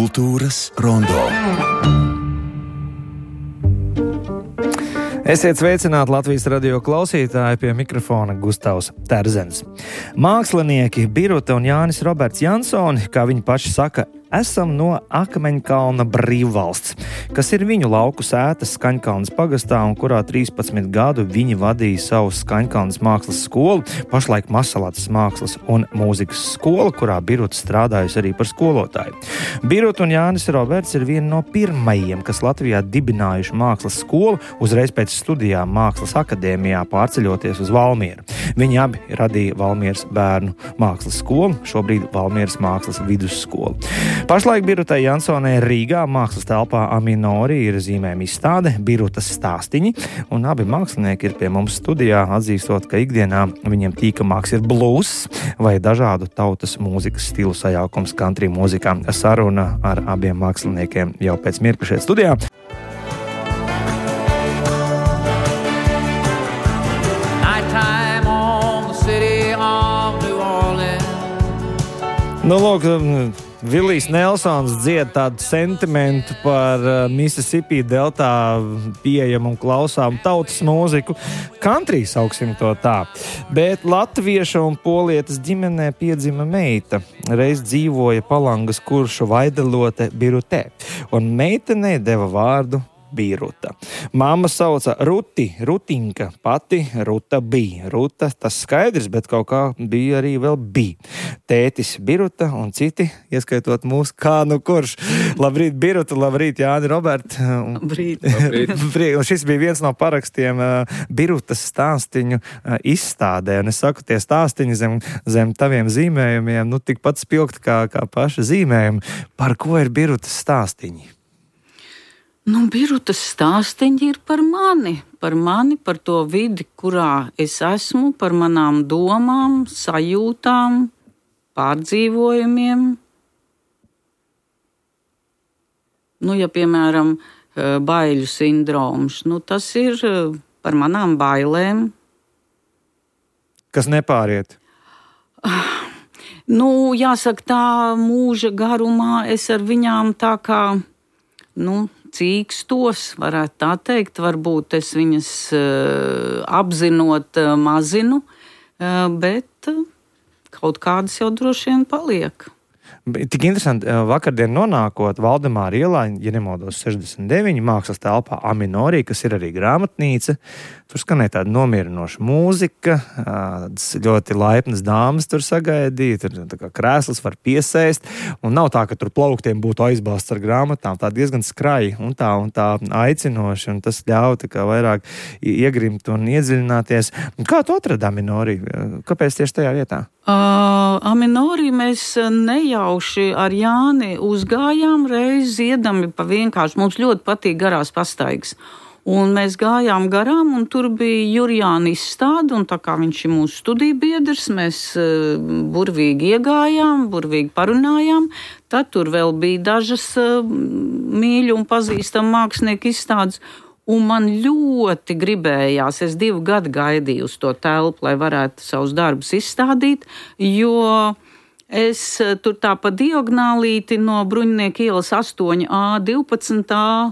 Kultūras rondo. Esiet sveicināti Latvijas radio klausītāji, pie mikrofona Gustavs Terzens. Mākslinieki Biruta un Jānis Roberts Jansoni, kā viņi paši saka, esam no Akmeņkalna brīvvalsts, kas ir viņu lauku sētas Skaņkalnas pagastā un kurā 13 gadu viņi vadīja savu Skaņkalnas mākslas skolu, pašlaik Masalacas mākslas un mūzikas skola, kurā Biruta strādājusi arī par skolotāju. Biruta un Jānis Roberts ir vieni no pirmajiem, kas Latvijā dibinājuši mākslas skolu, uzreiz pēc studijām Mākslas akadēmijā pārceļoties uz Valmieru. Viņi abi radīja Valmieras bērnu mākslas skolu, šobrīd Valmieras mākslas vidusskolu. Pašlaik Birutai Jansonai Rīgā mākslas telpā Aminori ir zīmējuma izstāde Birutas stāstiņi, un abi mākslinieki ir pie mums studijā, atzīstot, ka ikdienā viņiem tīkamāks ir blues vai dažādu tautas mūzikas stilu sajaukums country mūzikā. Saruna ar abiem māksliniekiem jau pēc mirkļa šeit studijā. Nu, lūk, Vilijs Nelsons dzied tādu sentimentu par Mississippi deltā pieejamu un klausām tautas mūziku. Country sauksim to tā. Bet latvieša un polietas ģimenē piedzima meita. Reiz dzīvoja Palangas kuršu vaidelote Birutē, un meitenei deva vārdu Biruta. Mamma sauca Ruti, Rutinka, pati Ruta bija. Ruta, tas skaidrs, bet kaut kā bija arī vēl bija. Tētis Biruta un citi, ieskaitot mūs, kā nu kurš. Labrīt, Biruta, labrīt, Jāni, Robert. Labrīt. Un šis bija viens no parakstiem Birutas stāstiņu izstādē. Un es saku, tie stāstiņi zem taviem zīmējumiem, nu tikpat spilgti kā paša zīmējumi. Par ko ir Birutas stāstiņi? Nu, Birutas stāstiņi ir par mani, par to vidi, kurā es esmu, par manām domām, sajūtām, pārdzīvojumiem. Nu, ja, piemēram, baiļu sindroms, nu, tas ir par manām bailēm. Kas nepāriet? Nu, jāsaka, tā mūža garumā es ar viņām tā kā, nu, cīkstos, varētu tā teikt, varbūt es viņas apzinot mazinu, bet kaut kādas jau droši vien paliek. Tik interesanti, vakardien nonākot Valdemāra ielā, ja nemaldos 69, mākslas telpā Aminori, kas ir arī grāmatnīca, tur skanēja tāda nomierinoša mūzika, ļoti laipnas dāmas tur sagaidīja, tur tā kā krēsls var piesēst, un nav tā, ka tur plauktiem būtu aizbāzts ar grāmatām, tā diezgan skraji un tā aicinoši, un tas ļauj tā kā vairāk iegrimt un iedziļināties. Kā tu atradi Aminori? Kāpēc tieši tajā vietā? Aminori mēs nejauši ar Jāni uzgājām reiz ziedami pa vienkārši. Mums ļoti patīk garās pastaigas. Un mēs gājām garām, un tur bija Jurijāna izstāde, un tā kā viņš ir mūsu studiju biedrs, mēs burvīgi iegājām, burvīgi parunājām. Tad tur vēl bija dažas mīļu un pazīstamu mākslinieku izstādes. Un man ļoti gribējās, es 2 gadu gaidīju uz to telpu, lai varētu savus darbus izstādīt, jo es tur tā pa diagonālīti no Bruņinieku ielas 8A, 12A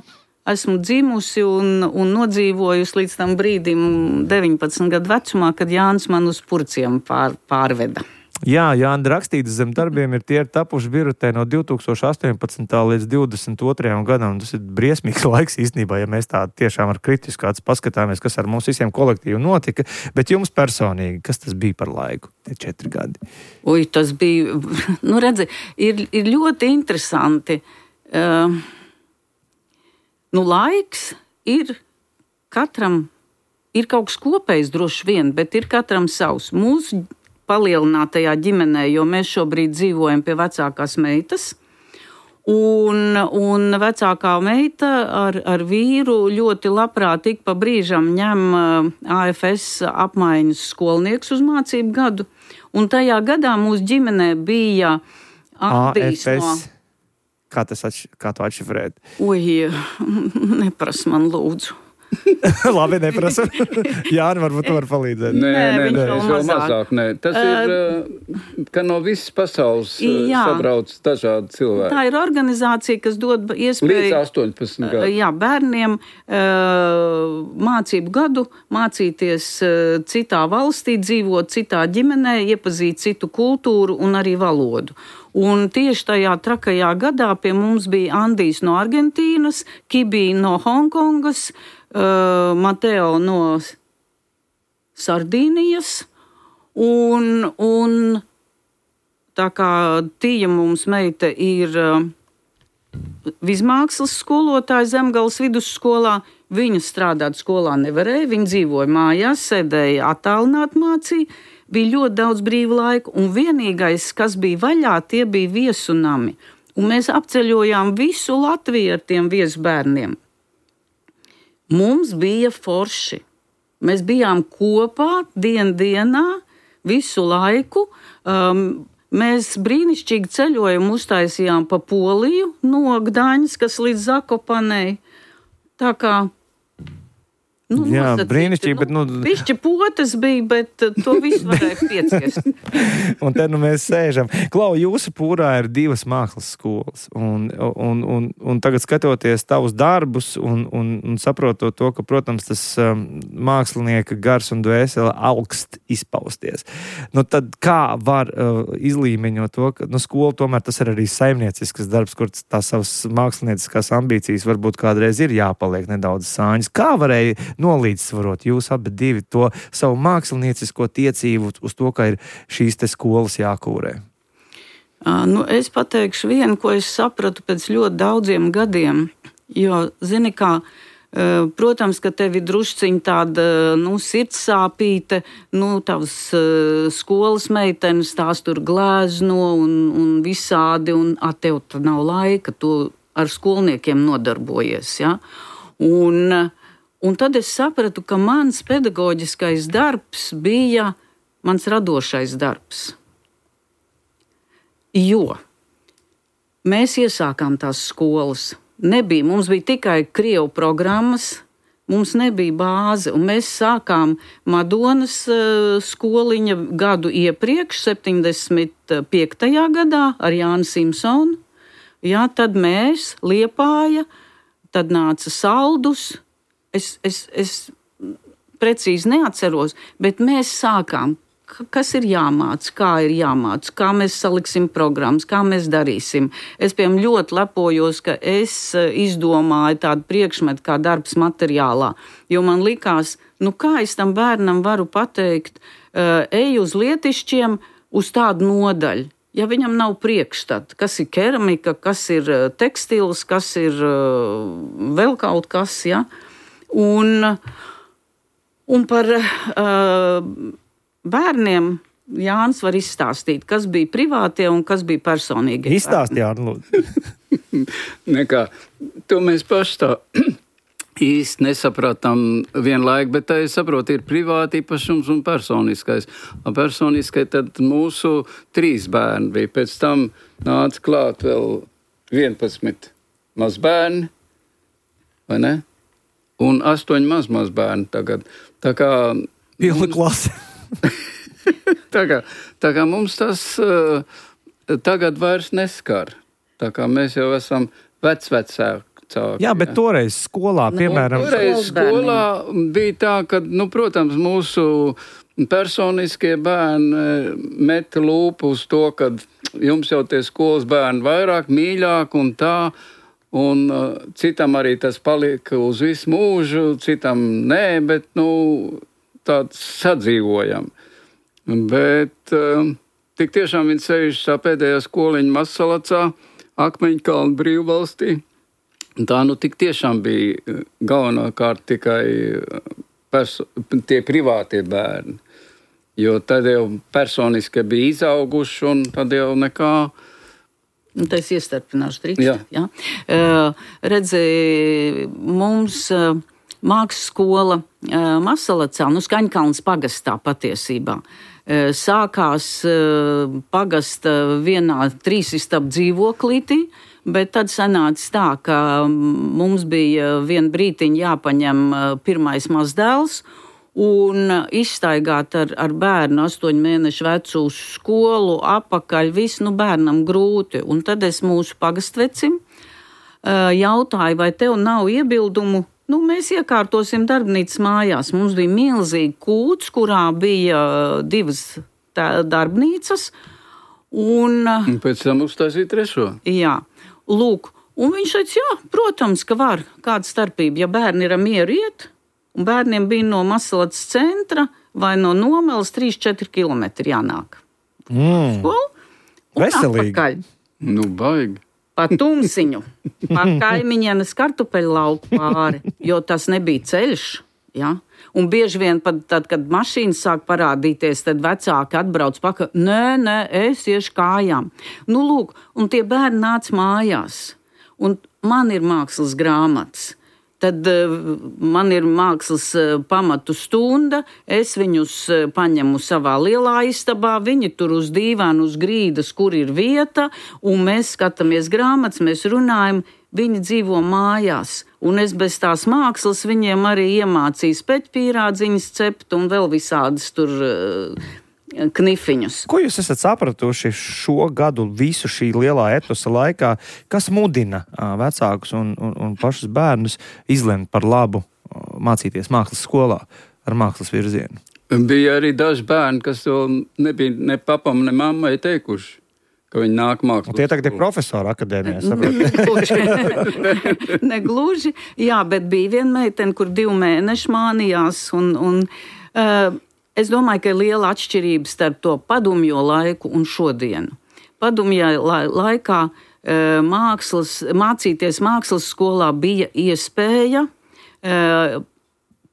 esmu dzimusi un nodzīvojusi līdz tam brīdim 19 gadu vecumā, kad Jānis man uz Purciem pārveda. Jā, Jāni, rakstītas zem darbiem tie ir tapuši Birutē no 2018. līdz 2022. gadam. Tas ir briesmīgs laiks īstenībā, ja mēs tā tiešām ar kritisku acu paskatāmies, kas ar mums visiem kolektīvi notika. Bet jums personīgi, kas tas bija par laiku, tie 4 gadi? Ui, tas bija, nu redzi, ir ļoti interesanti. Nu, laiks ir katram, ir kaut kas kopējs droši vien, bet ir katram savs. Mūsu palielinātajā ģimenē, jo mēs šobrīd dzīvojam pie vecākās meitas, un vecākā meita ar vīru ļoti labprāt ik pa brīžam ņem AFS apmaiņas skolnieks uz mācību gadu, un tajā gadā mūsu ģimenē bija Andijs no... Kā tu atšifrēt? Ui, nepras man lūdzu. Labi, neprasu. Jāni, varbūt tu var palīdzēt. Nē, es vēl mazāk. Tas ir, ka no visas pasaules sabrauc dažādi cilvēki. Tā ir organizācija, kas dod iespēju līdz 18 gadu. Jā, bērniem mācību gadu mācīties citā valstī, dzīvot citā ģimenē, iepazīt citu kultūru un arī valodu. Un tieši tajā trakajā gadā pie mums bija Andijs no Argentīnas, Kibī no Hongkongas, Mateo no Sardīnijas, un tā kā Tīja mums meita ir vismākslas skolotāja Zemgales vidusskolā, viņa strādāt skolā nevarēja, viņa dzīvoja mājās, sēdēja attālināt mācīja, bija ļoti daudz brīva laika, un vienīgais, kas bija vaļā, tie bija viesunami. Un mēs apceļojām visu Latviju ar tiem viesbērniem. Mums bija forši. Mēs bijām kopā dienā, visu laiku. Mēs brīnišķīgi ceļojumu uztaisījām pa Poliju no Gdaņas, kas līdz Zakopanei. Tā kā jā, brīnišķīgi, bet pišķi potes bija, bet to visu varēja pieciest. Un te mēs sēžam. Klau, jūsu pūrā ir 2 mākslas skolas, un tagad skatoties tavus darbus un saprotot to, ka, protams, tas mākslinieka gars un dvēsele augst izpausties. Tad kā var izlīmeņot to, ka skola tomēr tas ir arī saimniecisks darbs, kur tās savas mākslinieciskās ambīcijas varbūt kādreiz ir jāpaliek nedaudz sāņas. Kā varēja nolīdzsvarot jūs abi divi to savu māksliniecisko tiecību uz to, ka ir šīs te skolas jākūrē? Es pateikšu vienu, ko es sapratu pēc ļoti daudziem gadiem, jo, zini kā, protams, ka tev ir drusciņi tāda, sirdsāpīte, tavas skolas meitenes, tās tur glēzno un visādi, un tev tad nav laika, tu ar skolniekiem nodarbojies, ja? Un tad es sapratu, ka mans pedagoģiskais darbs bija mans radošais darbs. Jo mēs iesākām tās skolas. Mums bija tikai krievu programmas, mums nebija bāze, un mēs sākām Madonas skoliņa gadu iepriekš, 75. gadā ar Jānu Simpsonu. Jā, tad mēs, Liepāja, tad nāca Saldus. Es precīzi neatceros, bet mēs sākām, kas ir jāmāc, kā ir jāmāc, kā mēs saliksim programmas, kā mēs darīsim. Es, piemēram, ļoti lepojos, ka es izdomāju tādu priekšmetu kā darbs materiālā, jo man likās, kā es tam bērnam varu pateikt, ej uz lietišķiem uz tādu nodaļu. Ja viņam nav priekšstata, kas ir keramika, kas ir tekstils, kas ir vēl kaut kas, ja? Un par bērniem Jānis var izstāstīt, kas bija privātie un kas bija personīgi. Izstāst, Jāni, lūdzu. Nekā, to mēs paši tā īsti nesapratam vienlaik, bet tā, es saprotu, ir privāti īpašums un personiskais. Personiskai tad mūsu 3 bērni bija. Pēc tam nāca klāt vēl 11 mazbērni, vai ne? Un 8 mazbērni tagad. Tā kā pilna klase. tā kā mums tas tagad vairs neskar. Tā kā mēs jau esam vecāki. Jā, bet toreiz skolā, piemēram... Toreiz skolā bija tā, ka, protams, mūsu personiskie bērni meta lūpu uz to, ka jums jau tie skolas bērni vairāk, mīļāk un tā, un citam arī tas palika uz visu mūžu, citam nē, bet, tāds sadzīvojam. Bet tik tiešām viņi sēž tā pēdējā skoliņa Mazsalacā, Akmeņkalna brīvvalstī. Tā tik tiešām bija galvenokārt tikai tie privātie bērni, jo tad jau personiski bija izauguši un tad jau nekā. Tā es iestarpināšu drīkst. Jā. Redzi, mums mākslas skola Mazsalacā, Skaņkalnas pagastā patiesībā, sākās pagasta vienā 3 istabu dzīvoklītī, Bet tad sanāca tā, ka mums bija vien brītiņ jāpaņem pirmais mazdēls un izstaigāt ar bērnu 8 mēnešu vecu uz skolu, apakaļ, visu bērnam grūti. Un tad es mūsu pagastvecim jautāju, vai tev nav iebildumu, mēs iekārtosim darbnīcas mājās. Mums bija milzīgi kūts, kurā bija 2 darbnīcas. Un pēc tam uztaisīt 3. Jā. Lūk, un viņš teica, jā, protams, ka var. Kāda starpība, ja bērni ir mieru iet, un bērniem bija no Masalats centra vai no Nomeles 3-4 kilometri jānāk. Skolu, un veselīgi. Atpakaļ. Baigi. Pa tumsiņu, pa kaimiņienes kartupeļu lauku pāri, jo tas nebija ceļš, ja? Un bieži vien pat tad, kad mašīnas sāk parādīties, tad vecāki atbrauc pakaļ, nē, es iešu kājām. Lūk, un tie bērni nāca mājās, un man ir mākslas grāmatas. Tad man ir mākslas pamatu stunda, es viņus paņemu savā lielā istabā, viņi tur uz dīvānu, uz grīdas, kur ir vieta, un mēs skatāmies grāmatas, mēs runājam, viņi dzīvo mājās, un es bez tās mākslas viņiem arī iemācīju speķpīrādziņas cept un vēl visādas tur knifiņus. Ko jūs esat sapratuši šo gadu visu šī lielā etosa laikā, kas mudina vecākus un pašus bērnus izlemt par labu mācīties mākslas skolā ar mākslas virzienu? Bija arī daži bērni, kas to nebija ne papam, ne mammai teikuši, ka viņi nāk mākslas. Tie tagad ir profesori akadēmijā, Negluži, jā, bet bija viena meitene, kur 2 mēneši mānījās, un es domāju, ka ir liela atšķirība starp to padomjo laiku un šodienu. Padomjā laikā mācīties mākslas skolā bija iespēja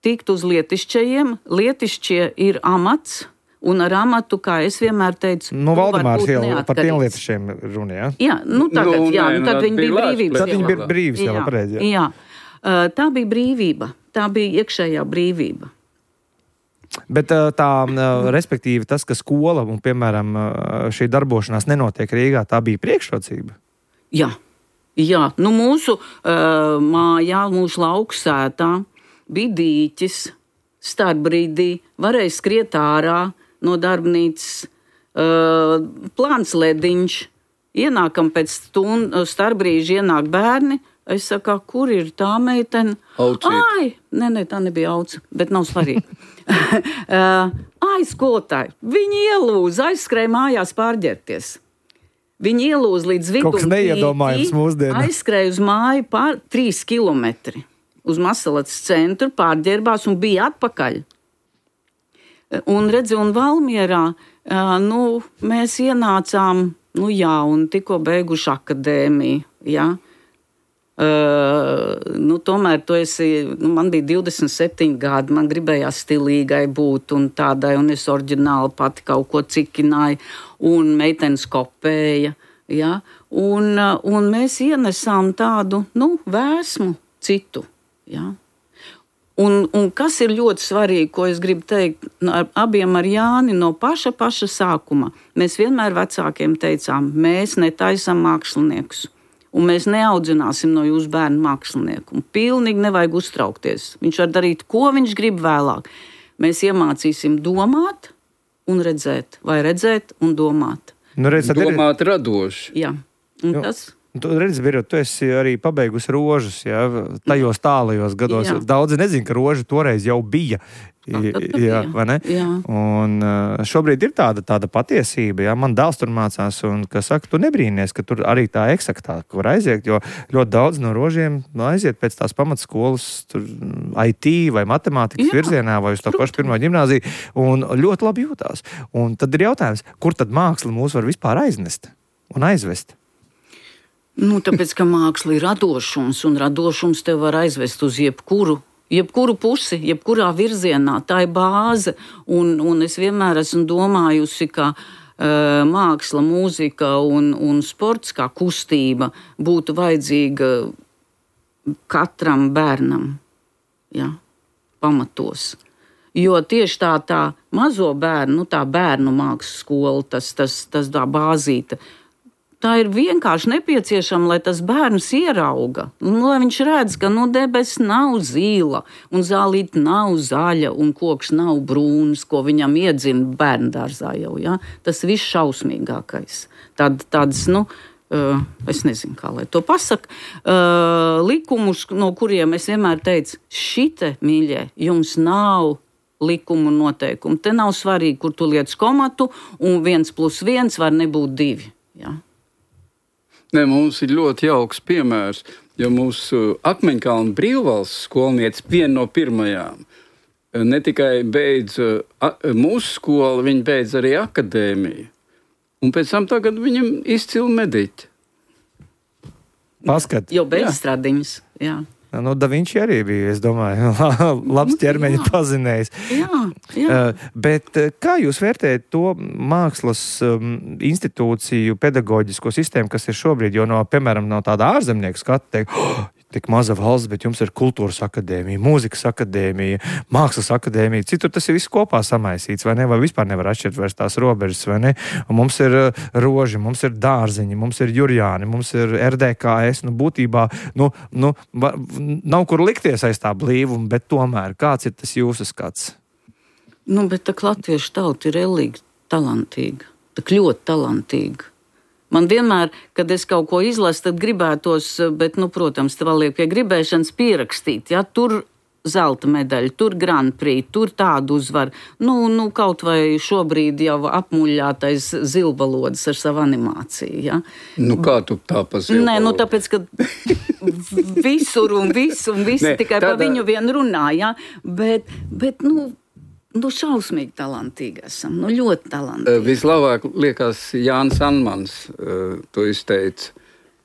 tikt uz lietišķajiem. Lietišķie ir amats, un ar amatu, kā es vienmēr teicu, Valdemārs jau par tiem lietišķiem runa, jā? Jā, tad viņi bija brīvības. Tad viņi bija brīvs jau, pareizi. Jā, tā bija brīvība, tā bija iekšējā brīvība. Bet respektīvi tas, ka skola un, piemēram, šī darbošanās nenotiek Rīgā, tā bija priekšrocība? Jā, mūsu mājā, mūsu lauksētā bija dīķis, starpbrīdī varēja skriet ārā no darbnīcas, plāns lediņš, ienākam pēc starpbrīža ienāk bērni, es saku, kur ir tā meitene? Ai, nē, tā nebija auca, bet nav svarīgi. Skolotāji, viņi ielūza, aizskrēja mājās pārģērties. Viņi ielūza līdz vidum. Kaut kas neiedomājams mūsdienā. Aizskrēja uz māju 3 kilometri. Uz Masalats centru pārģērbās un bija atpakaļ. Un redzi, un Valmierā, mēs ienācām, un tikko beiguši akadēmiju, jā. Tomēr tu esi, man bija 27 gadi, man gribējās stilīgai būt un tādai, un es oriģināli pati kaut ko cikināju, un meitenes kopēja, jā. Un mēs ienesām tādu, vēsmu citu. Ja? Un kas ir ļoti svarīgi, ko es gribu teikt abiem ar Jāni no paša sākuma, mēs vienmēr vecākiem teicām, mēs netaisam māksliniekus, un mēs neaudzināsim no jūsu bērnu mākslinieku, un pilnīgi nevajag uztraukties. Viņš var darīt, ko viņš grib vēlāk. Mēs iemācīsim domāt un redzēt, vai redzēt un domāt. Domāt radoši. Jā, un tas... Tu redzi, Birot, tu esi arī pabeigusi rožas, jā, tajos tālajos gados. Jā. Daudzi nezin, ka roža toreiz jau bija. Jā, vai ne? Jā. Un šobrīd ir tāda patiesība, jā. Man dēls tur mācās, un, kas saka, tu nebrīnies, ka tur arī tā eksaktāk var aiziet, jo ļoti daudz no rožiem aiziet pēc tās pamatskolas tur IT vai matemātikas virzienā vai uz to pašu pirmo ģimnāziju, un ļoti labi jūtās. Un tad ir jautājums, kur tad māksla mūs var vispār aiznest un aizvest? Tāpēc, ka māksla ir radošums, un radošums tev var aizvest uz jebkuru pusi, jebkurā virzienā. Tā ir bāze, un es vienmēr esmu domājusi, ka māksla, mūzika un sports kā kustība būtu vajadzīga katram bērnam, ja, pamatos. Jo tieši tā mazo bērnu, tā bērnu mākslas skola, tas tā bāzīta, tā ir vienkārši nepieciešama, lai tas bērns ierauga. Lai viņš redz, ka debes nav zīla, un zālīte nav zaļa, un koks nav brūns, ko viņam iedzina bērndārzā jau. Ja? Tas viss šausmīgākais. Tāds, es nezinu, kā lai to pasaka, likumus, no kuriem es vienmēr teicu, šite, mīļie, jums nav likumu noteikumu. Te nav svarīgi, kur tu liec komatu, un 1+1 var nebūt 2. Ja? Ne, mums ir ļoti jauks piemērs, jo mūsu Akmeņkalna brīvvalsts skolniece, viena no pirmajām, ne tikai beidz mūsu skolu, viņa beidz arī akadēmiju. Un pēc tam tagad viņam izcili mediķi. Paskat. Jau beigstrādiņas, jā. Da Vinci arī bija, es domāju, labs ķermeņa pazinējs. Jā. Bet kā jūs vērtējat to mākslas institūciju pedagoģisko sistēmu, kas ir šobrīd, jo piemēram, no tāda ārzemnieku skata teikt, tik maza valsts, bet jums ir kultūras akadēmija, mūzikas akadēmija, mākslas akadēmija, citur tas ir viss kopā samaisīts, vai ne, vai vispār nevar atšķirt vairs tās robežas, vai ne, un mums ir roži, mums ir dārziņi, mums ir Jurjāni, mums ir RDKS, būtībā, nav kur likties aiz tā blīvuma, bet tomēr, kāds ir tas jūsu skats? Bet tā latviešu tauta ir ellīgi talantīga, tā ļoti talantīga. Man vienmēr, kad es kaut ko izlasu, tad gribētos, bet, protams, te vēl liek pie gribēšanas pierakstīt, ja, tur zelta medaļa, tur Grand Prix, tur tādu uzvar, kaut vai šobrīd jau apmuļātais zilbalodis ar savu animāciju, ja. Kā tu tā pa zilbalodu? Nē, tāpēc, ka visur un visi tikai par viņu vien runā, ja, bet šausmīgi talantīgi esam, ļoti talantīgi. Vislabāk liekas Jānis Anmans to izteica,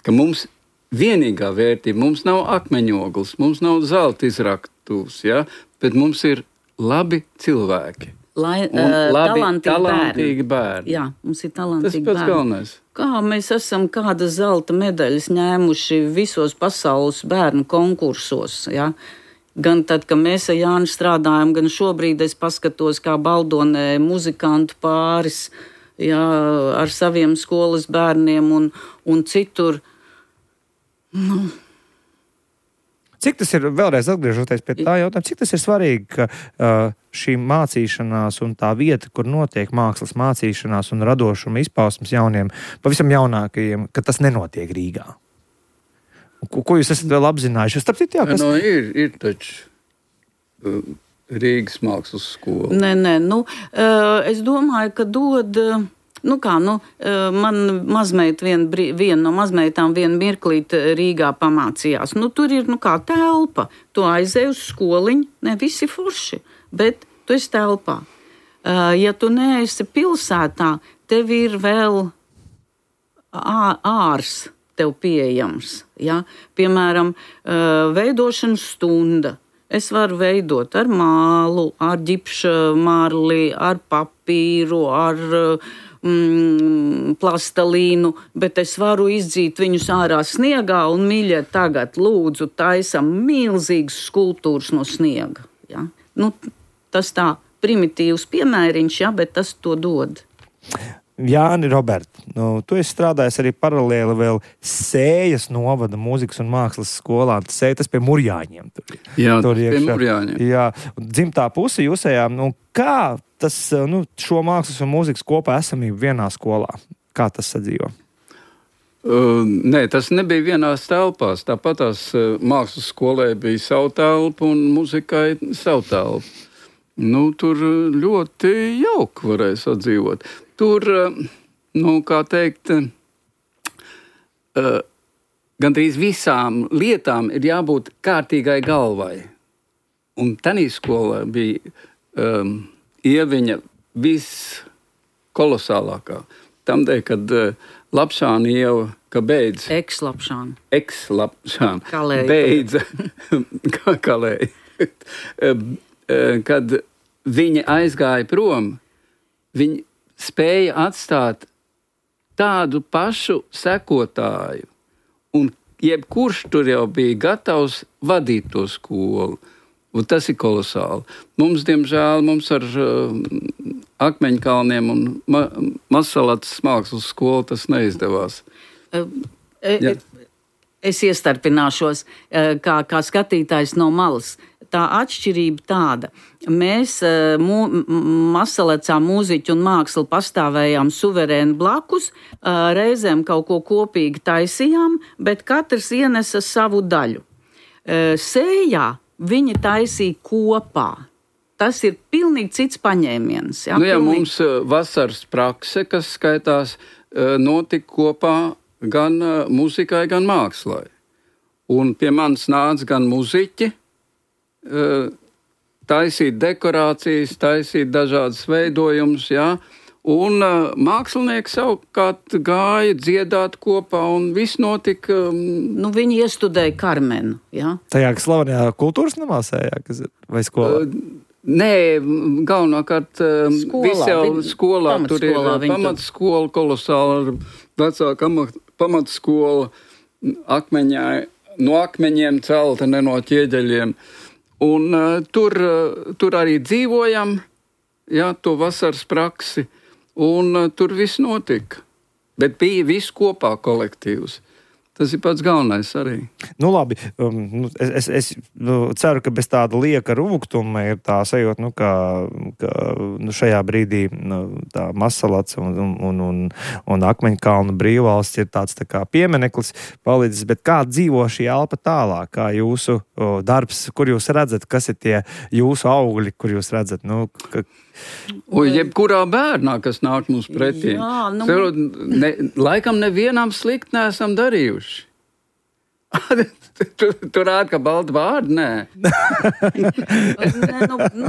ka mums vienīgā vērtība, mums nav akmeņoglis, mums nav zelta izraktuvs, ja? Bet mums ir labi cilvēki. Talantīgi bērni. Jā, mums ir talantīgi bērni. Tas pats galvenais. Kā mēs esam kādas zelta medaļas ņēmuši visos pasaules bērnu konkursos, ja? Gan tad, kad mēs ar Jāni strādājam, gan šobrīd es paskatos, kā Baldonē muzikantu pāris, jā, ar saviem skolas bērniem un citur. Cik tas ir, vēlreiz atgriežoties pie tā jautājuma, cik tas ir svarīgi, ka šī mācīšanās un tā vieta, kur notiek mākslas mācīšanās un radošuma izpausmes jauniem, pavisam jaunākajiem, ka tas nenotiek Rīgā? Ko jūs esat vēl apzinājuši? Ir taču Rīgas mākslas skola. Nē, es domāju, ka dod, man mazmeita viena no mazmeitām vienu mirklīt Rīgā pamācījās. Tur ir, telpa. Tu aizēj uz skoliņu, ne visi forši, bet tu esi telpā. Ja tu neesi pilsētā, tev ir vēl ārs tev pieejams. Ja? Piemēram, veidošanas stunda. Es varu veidot ar mālu, ar ģipšmarli, ar papīru, ar plastelīnu, bet es varu izdzīt viņus ārā sniegā un, mīļie, tagad lūdzu taisam milzīgas skulptūras no sniega. Ja? Tas tā primitīvs piemēriņš, ja, bet tas to dod. Jāni, Robert, tu esi strādājis arī paralēli vēl Sējas novada mūzikas un mākslas skolā. Tas pie Murjāņiem. Jā, pie Murjāņiem. Jā, dzimtā puse jūsējā. Kā tas šo mākslas un mūzikas kopā esamību vienā skolā? Kā tas sadzīvo? Nē, tas nebija vienās telpās. Tāpat tās mākslas skolē bija savu telpu un muzikai savu telpu. Tur ļoti jauki varēja sadzīvot. Tur, kā teikt, gandrīz visām lietām ir jābūt kārtīgai galvai. Un tanī skolā bija ieviņa viskolosālākā. Tamdēļ, kad Lapšāna ieva, ka beidz... Ekslapšāna. Beidza. Kalēja. Kad viņi aizgāja prom, viņi spēja atstāt tādu pašu sekotāju, un jebkurš tur jau bija gatavs vadīt to skolu. Un tas ir kolosāli. Mums, diemžēl, ar Akmeņkalniem un Mazsalacas mākslas skolu tas neizdevās. Es iestarpināšos kā skatītājs no malas. Tā atšķirība tāda. Mēs Mazsalacā mūziķu un mākslu pastāvējām suverēni blakus, reizēm kaut ko kopīgi taisījām, bet katrs ienesa savu daļu. Sējā viņi taisīja kopā. Tas ir pilnīgi cits paņēmiens. Ja? Mums vasaras prakse, kas skaitās, notika kopā gan muzikai, gan mākslai. Un pie manis nāca gan muziķi, taisīt dekorācijas, taisīt dažādas veidojumus, jā. Un mākslinieki savukārt gāja dziedāt kopā, un viss notika. Viņi iestudēja Karmenu, jā. Tajā slavenajā kultūras namā sējā, kas ir, vai skolā? Nē, galvenokārt viss jau skolā. Tur ir pamatskola kolosāla, vecāka pamatskola no akmeņiem celta, ne no ķieģeļiem. Un tur arī dzīvojam, jā, to vasaras praksi. Un tur viss notika. Bet bija viss kopā kolektīvs. Tas ir pats galvenais arī. Labi, es ceru, ka bez tāda lieka rūgtuma ir tā sajūta, ka šajā brīdī tā Mazsalaca un Akmeņkalnu brīvvalsts ir tāds tā kā piemineklis palicis, bet kā dzīvo šī elpa tālāk, kā jūsu darbs, kur jūs redzat, kas ir tie jūsu augļi, kur jūs redzat, jebkurā bērnā, kas nāk mums pretī. Jā, laikam nevienam slikti neesam darījuši. Tur rāda, ka balta vārdi, nē.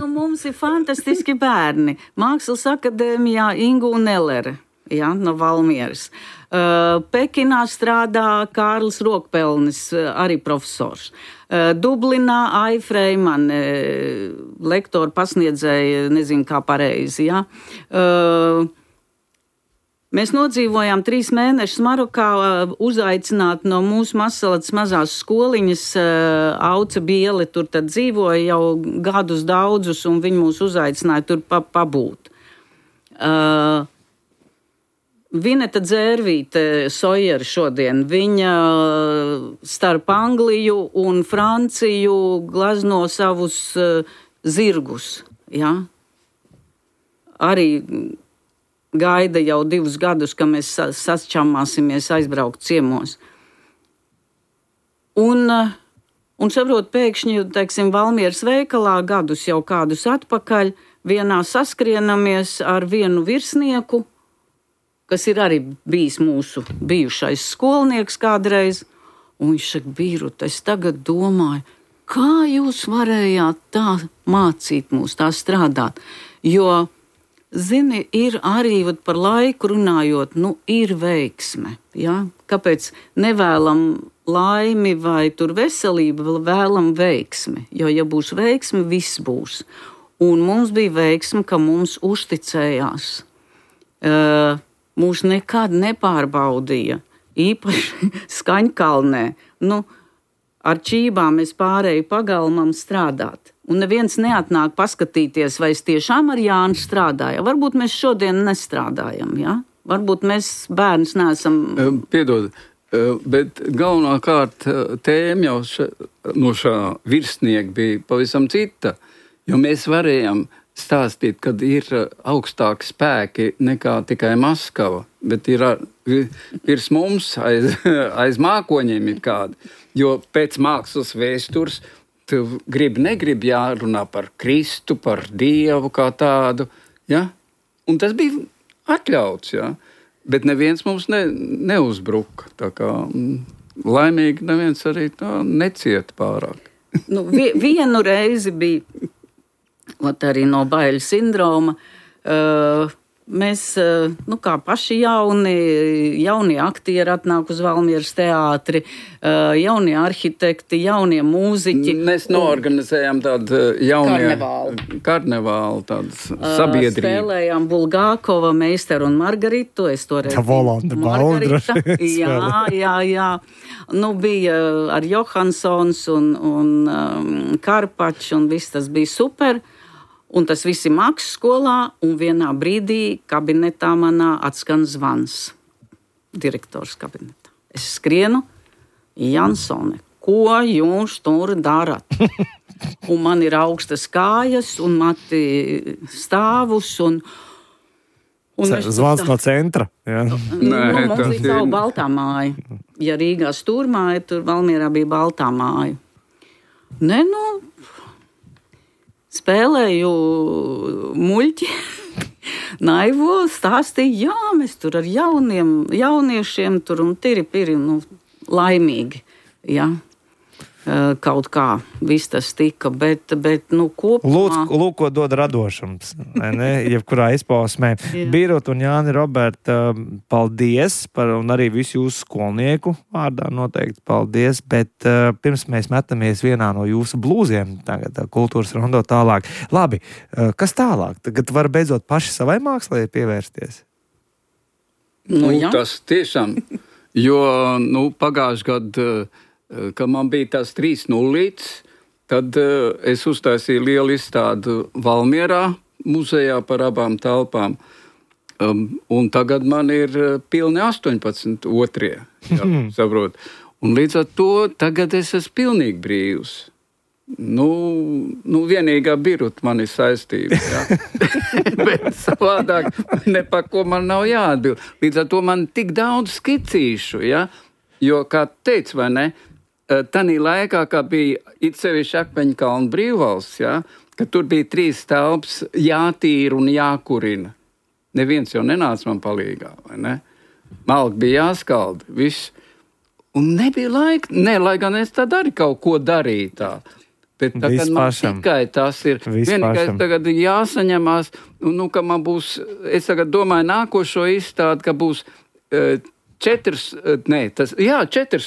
Mums ir fantastiski bērni. Mākslas akadēmijā Ingu Nelere, jā, no Valmieras. Pekinā strādā Kārlis Rokpelnis, arī profesors. Dublinā Ai Freiman, lektori pasniedzēja, nezinu kā pareizi, jā. Mēs nodzīvojām 3 mēnešus Marokā, uzaicināti no mūsu Mazsalacas mazās skoliņas. Auce Biele tur tad dzīvoja jau gadus daudzus, un viņi mūs uzaicināja tur pabūt. Vineta Dzērvīte Sojera šodien, viņa starp Angliju un Franciju glazno savus zirgus, ja? Arī gaida jau 2 gadus, ka mēs sašķammāsimies aizbraukt ciemos. Un saprot, pēkšņi, teiksim, Valmieras veikalā gadus jau kādus atpakaļ, vienā saskrienamies ar vienu virsnieku, kas ir arī bijis mūsu bijušais skolnieks kādreiz, un viņš saka, Birute, es tagad domāju, kā jūs varējāt tā mācīt mūs, tā strādāt, jo, zini, ir arī par laiku runājot, ir veiksme, ja? Kāpēc nevēlam laimi vai tur veselību, vēlam veiksmi, jo, ja būs veiksme, viss būs. Un mums bija veiksme, ka mums uzticējās. Mūs nekad nepārbaudīja, īpaši Skaņkalnē. Ar čībām es pārēju pagalmam strādāt. Un neviens neatnāk paskatīties, vai es tiešām ar Jānu strādāju. Varbūt mēs šodien nestrādājam, ja? Varbūt mēs bērns neesam... Piedod, bet galvenākārt tēma jau no šā virsnieka bija pavisam cita, jo mēs varējām stāstīt, kad ir augstāki spēki nekā tikai Maskava, bet ir virs mums aiz mākoņiem ir kādi. Jo pēc mākslas vēstures tu negribi jārunā par Kristu, par Dievu kā tādu, ja? Un tas bija atļauts, ja? Bet neviens mums neuzbruka. Tā kā laimīgi neviens arī tā necieta pārāk. Vienu reizi bija arī no baiļu sindroma. Mēs, kā paši jaunie aktieri atnāk uz Valmieras teātri, jaunie arhitekti, jaunie mūziķi. Mēs noorganizējām tādu karnevālu tādas sabiedrību. Spēlējām Bulgākova, Meisteru un Margaritu. Es toreiz Margarita. Jā. Bija ar Johansons un Karpačs, un viss tas bija super. Un tas viss ir mākslas skolā, un vienā brīdī kabinetā manā atskan zvans. Direktors kabinetā. Es skrienu, Jansone, ko jūs tur darat? Un man ir augstas kājas, un mati stāvus, un zvans no centra. Jā. Mums bija savu baltā māja. Ja Rīgā stūrmāja, tur Valmierā bija baltā māja. Spēlēju muļķi, naivo, stāstīju, mēs tur ar jauniešiem tur un tiri, laimīgi, jā. Kaut kā viss tas tika, bet kopumā... Lūk, ko dod radošums, ne? Jebkurā izpausmē. Birut un Jāni Roberta, paldies un arī visu jūsu skolnieku vārdā noteikti paldies, bet pirms mēs metamies vienā no jūsu blūziem, tagad kultūras rondo tālāk. Labi, kas tālāk? Tagad var beidzot paši savai mākslai pievērsties? Tas tiešām, jo pagājuši gadu kad man bija tās 3 nullītes, tad es uztaisīju lielu izstādi Valmierā muzejā par abām telpām. Un tagad man ir pilni 18 otrie, saprot. Un līdz ar to tagad es esmu pilnīgi brīvs. Vienīgā Birut man ir saistība, jā. Bet savādāk ne par ko man nav jāatbild. Līdz ar to man tik daudz skicīšu, jā. Jo, kā teicu, vai ne, tanī laikā, kā bija it sevišķi Akmeņkalna brīvvalsts, ja, ka tur bija 3 telpas jātīra un jākurina. Neviens jau nenāca man palīgā, vai ne? Malki bija jāskalda, viss. Un nebija laika, lai gan es tad arī kaut ko darīju tā. Bet tagad man tikai tas ir. Vienīgais tagad jāsaņemās, ka man būs, es tagad domāju nākošo izstādi, ka būs 4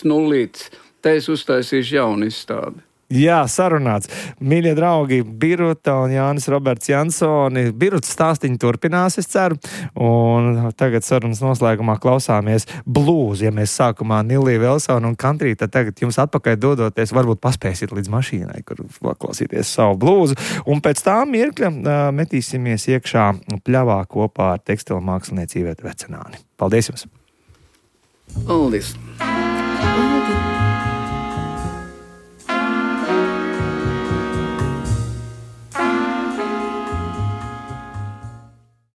nullītes. Te es uztaisīšu jaunu izstādi. Jā, sarunāts. Mīļie draugi, Biruta un Jānis Roberts Jansoni. Birutas stāstiņi turpinās, es ceru. Un tagad sarunas noslēgumā klausāmies blūzi. Ja mēs sākumā Niliju Velsonu un Kantrī, tad tagad jums atpakaļ dodoties, varbūt paspēsiet līdz mašīnai, kur klausīties savu blūzu. Un pēc tā mirkļa metīsimies iekšā pļavā kopā ar tekstilu mākslinieci Ivētu Vecenāni. Paldies jums! Paldies! Paldies!